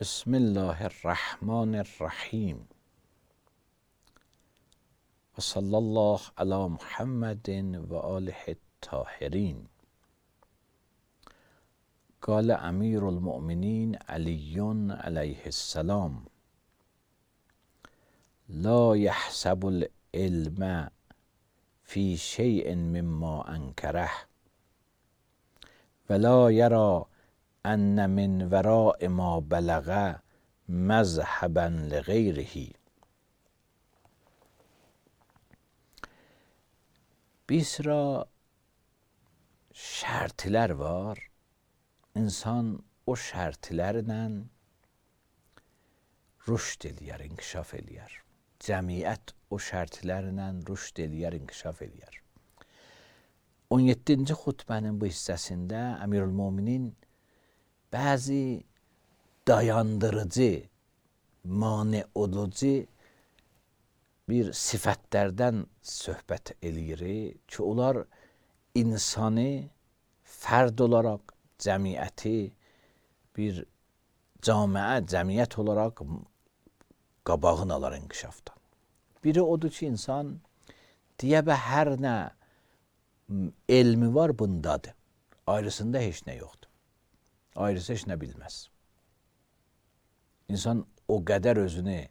بسم الله الرحمن الرحیم و صلی الله علی محمد و آله الطاهرین. قال امیر المؤمنین علی علیه السلام: لا یحسب العلم فی شیء مما انکره ولا یرى ان من وراء ما بلغ مذهبا لغیره. Bir sıra şərtlər var. İnsan o şərtlərlə rüşd eləyər, inkişaf eləyər. Cəmiyyət o şərtlərlə rüşd eləyər, inkişaf eləyər. 17-ci xutbənin bu hissəsində Əmirülmöminin bəzi dayandırıcı, mane olucu bir sifətlərdən söhbət eləyir ki, onlar insanı fərd olaraq cəmiyyəti bir cəmiyyət olaraq qabağını alar inkişafdan. Biri odur ki, insan deyə və hər nə elmi var bundadır. Ayrısında heç nə yoxdur. Ayrısı heç nə bilməz. İnsan o qədər özünü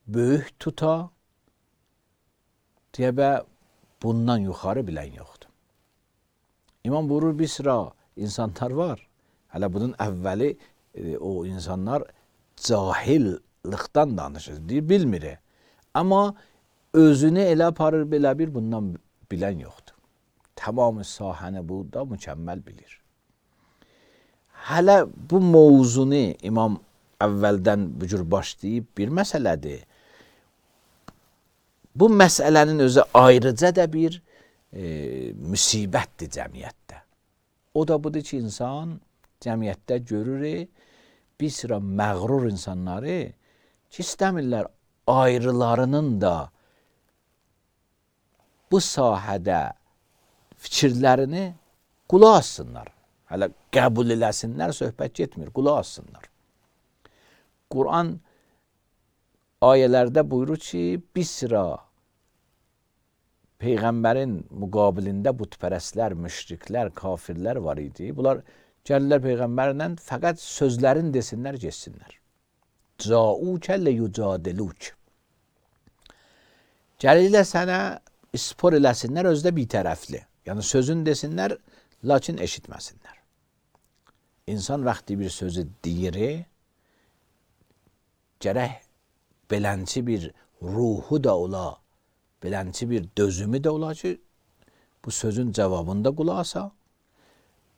böyük tuta, deyə və bundan yuxarı bilən yoxdur. İmam buyurur, bir sıra insanlar var. Hələ bunun əvvəli o insanlar cahillikdən danışır, deyir, bilmir. Amma özünü elə aparır, belə bir bundan bilən yoxdur. Tamamı sahəni bu da mükəmməl bilir. Hələ bu mövzunu İmam əvvəldən bu cür başlayıb bir məsələdir. Bu məsələnin özü ayrıca da bir müsibətdir cəmiyyətdə. O da budur ki, insan cəmiyyətdə görür bir sıra məğrur insanları ki, istəmirlər ayrılarının da bu sahədə fikirlərini qulaq assınlar. Hələ qəbul eləsinlər, söhbət getmir, qulaq assınlar. Quran ayələrdə buyurur ki, bir sıra Peyğəmbərin müqabilində butpərəstlər, müşriklər, kafirlər var idi. Bunlar gəlirlər Peyğəmbərlə fəqət sözlərin desinlər, geçsinlər. Câûkə leyucadilûk. Gəlirlər sənə ispor eləsinlər, özdə bitərəfli. Yəni sözün desinlər, lakin eşitməsinlər. İnsan vaxtı bir sözü deyir, gərək belənçi bir ruhu da ola, belənçi bir dözümü də ola ki, bu sözün cavabında qulaq asa,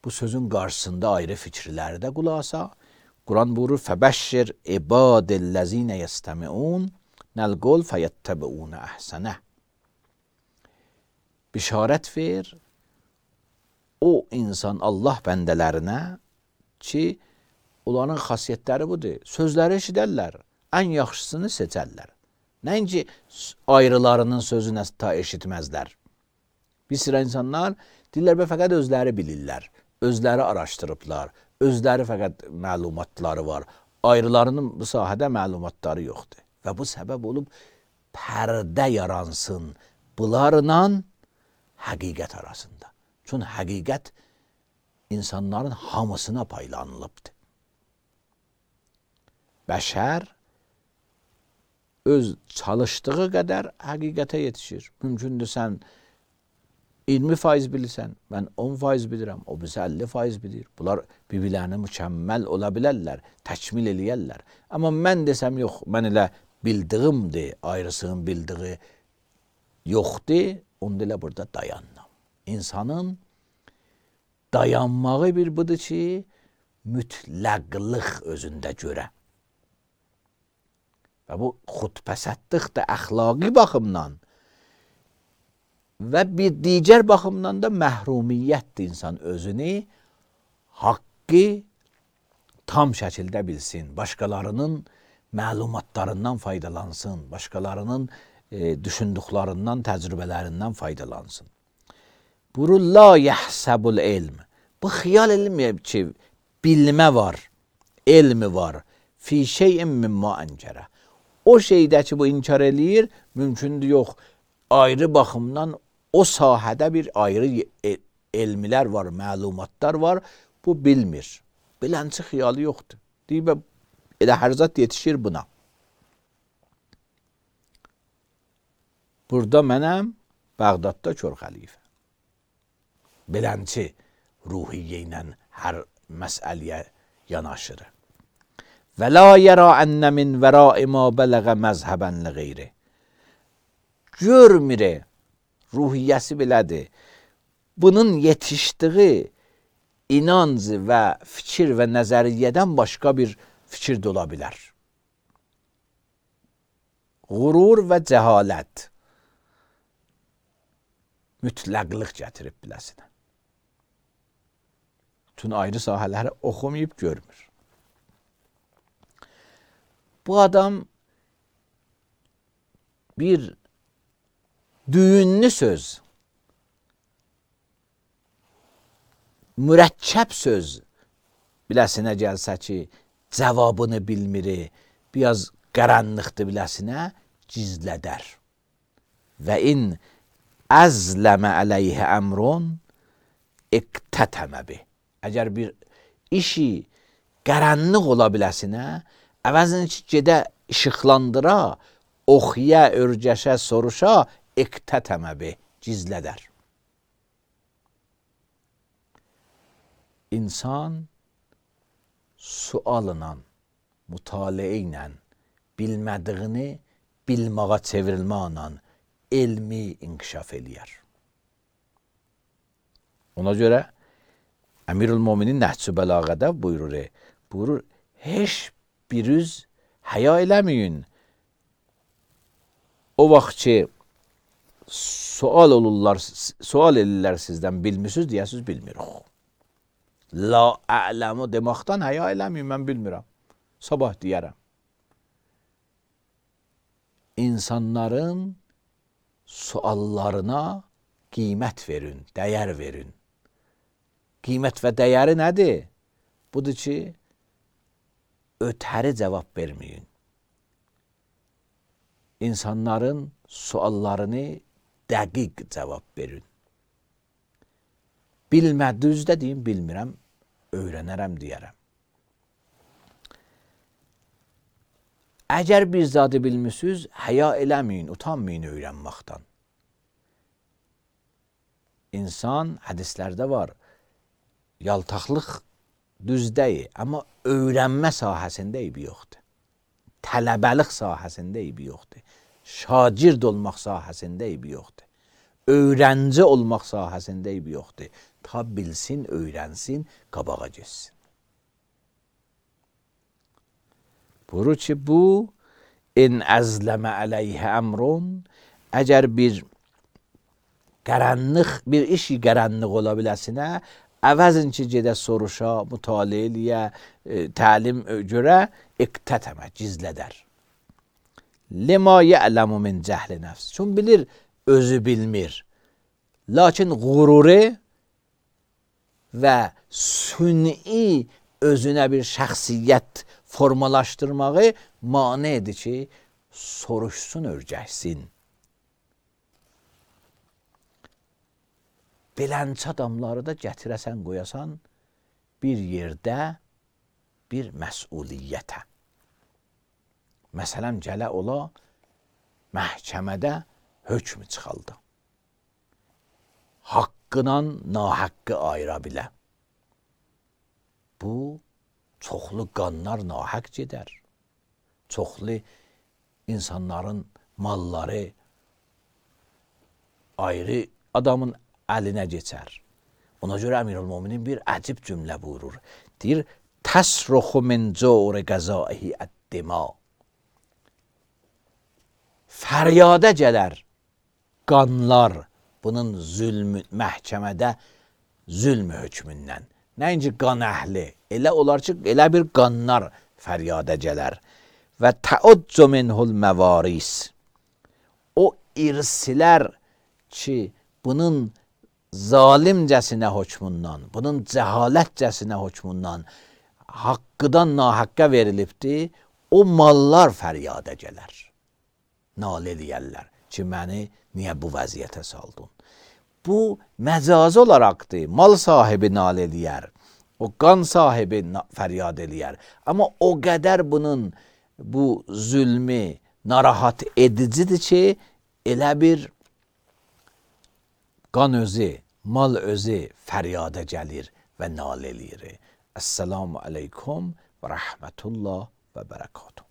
bu sözün qarşısında ayrı fikirləri də qulaq asa. Quran buyurur, fəbəşşir ibadəl-ləzinə yəstəmiun nəl-qol fəyəttəbiunə əhsənə. Bişarət ver o insan Allah bəndələrinə ki, onların xasiyyətləri budur. Sözləri eşidərlər, ən yaxşısını seçərlər. Nəinki ayrılarının sözünə ta eşitməzlər. Bir sıra insanlar deyirlər, fəqət özləri bilirlər, özləri araşdırıblar, özləri fəqət məlumatları var. Ayrılarının bu sahədə məlumatları yoxdur. Və bu səbəb olub pərdə yaransın bunlarla həqiqət arasında. Çünki həqiqət insanların hamısına paylanılıbdır. Bəşər öz çalışdığı qədər həqiqətə yetişir. Mümkündür sən 20% bilirsən, mən 10% bilirəm, o bizə 50% bilir. Bunlar bir-birlərini mükəmməl ola bilərlər, təkmil eləyərlər. Amma mən desəm, yox, mən elə bildiyimdir, ayrısının bildiyi yoxdur, onda elə burada dayanmam. İnsanın dayanmağı bir budur ki, mütləqlıq özündə görə. Və bu xudpəsəddlik də əxlaqi baxımdan və bir digər baxımdan da məhrumiyyətdir. İnsan özünü haqqı tam şəkildə bilsin, başqalarının məlumatlarından faydalansın, başqalarının düşündüklərindən, təcrübələrindən faydalansın. Buyurur, la yəhsəbul ilm. Bu xiyal elməyib ki, bilmə var. elmi var. Fi şeyin mimma ənkərə. O şeydə ki, bu inkar eləyir, mümkündür yox. Ayrı baxımdan o sahədə bir ayrı elmlər var, məlumatlar var. Bu bilmir. Bilənçi xiyalı yoxdur. Deyib, elə hər zat yetişir buna. Burada mənəm, Bağdadda kör xəlifə. Bilənçi ruhiyyə ilə hər məsələyə yanaşır. Və la yərə ənə min vərai ma bələğə məzhəbən li qeyri. Görmür, ruhiyyəsi belədir. Bunun yetişdiyi inanc və fikir və nəzəriyyədən başqa bir fikir də ola bilər. Qurur və cəhalət mütləqlıq gətirib biləsinə. Bütün ayrı sahələri oxumayıb görmür. Bu adam bir düyünlü söz, mürəkkəb söz biləsinə gəlsə ki, cavabını bilmir, biraz qaranlıqdır biləsinə, gizlədər. Və in əzləmə əleyhə əmrun iqtətəmə bih. Əgər bir işi qaranlıq ola biləsinə, əvəzini ki, gedə işıqlandıra, oxuya, örgəşə, soruşa, iqtətəmə bih, gizlədər. İnsan sualla, mütaliə ilə, bilmədiyini bilməğa çevrilməklə elmi inkişaf eləyər. Ona görə Əmirül Möminin Nəhcü Bəlağədə buyurur, heç biriniz həya eləməyin. O vaxt ki, sual edirlər sizdən, bilmirsiniz, deyəsiniz, bilmirik. La a'ləmu deməkdən həya eləməyin, mən bilmirəm. Sabah deyərəm. İnsanların suallarına qiymət verin, dəyər verin. Qiymət və dəyəri nədir? Budur ki, ötəri cavab verməyin. İnsanların suallarını dəqiq cavab verin. Bilmədiyinizdə deyin, bilmirəm, öyrənərəm deyərəm. Əgər bir zadı bilmirsiniz, həya eləməyin, utanmayın öyrənməkdən. İnsan, hədislərdə var, yaltaqlıq düzdəyir, amma öyrənmə sahəsində eybi yoxdur. Tələbəlik sahəsində eybi yoxdur. Şagird olmaq sahəsində eybi yoxdur. Öyrənci olmaq sahəsində eybi yoxdur. Ta bilsin, öyrənsin, qabağa geçsin. Buyurur ki, bu in əzləmə əleyhə əmrun, əgər bir işi qaranlıq ola biləsinə, əvəzin ki, gedə soruşa, mütaliə eləyə, təlim görə, iqtətəmə, gizlədər. Lima ya'ləmu min cəhli nəfs. Çün bilir, özü bilmir. Lakin qururu və sünni özünə bir şəxsiyyət formalaşdırmağı mane edir ki, soruşsun, örgəşsin. Belənçi adamları da gətirəsən, qoyasan bir yerdə bir məsuliyyətə. Məsələn, gələ ola məhkəmədə hökmü çıxaldı. Haqqla nahaqqı ayıra bilə. Bu, çoxlu qanlar nahaq gedər. Çoxlu insanların malları ayrı adamın əlinə geçər. Ona görə Əmirül Möminin bir əcib cümlə buyurur. Deyir, təsruxu min cəuri qəzaihi əd-dima. Fəryada gələr qanlar bunun məhkəmədə zülm hökmündən. Nəinci qan əhli, elə olar ki, elə bir qanlar fəryada gələr. Və təudcu minhul məvaris. O irsilər ki, bunun zalimcəsinə hökmündən, bunun cəhalətcəsinə hökmündən haqqıdan nahaqqa verilibdir, o mallar fəryada gələr. Nalə eləyərlər ki, məni niyə bu vəziyyətə saldın? Bu məcazi olaraqdır. Mal sahibi nalə eləyər, o qan sahibi fəryad eləyər. Amma o qədər bunun bu zülmü narahat edicidir ki, elə bir qan özü, mal özü fəryada gəlir və nalə eləyir. Əssalamu aleykum və rəhmətullah və bərəkatuhu.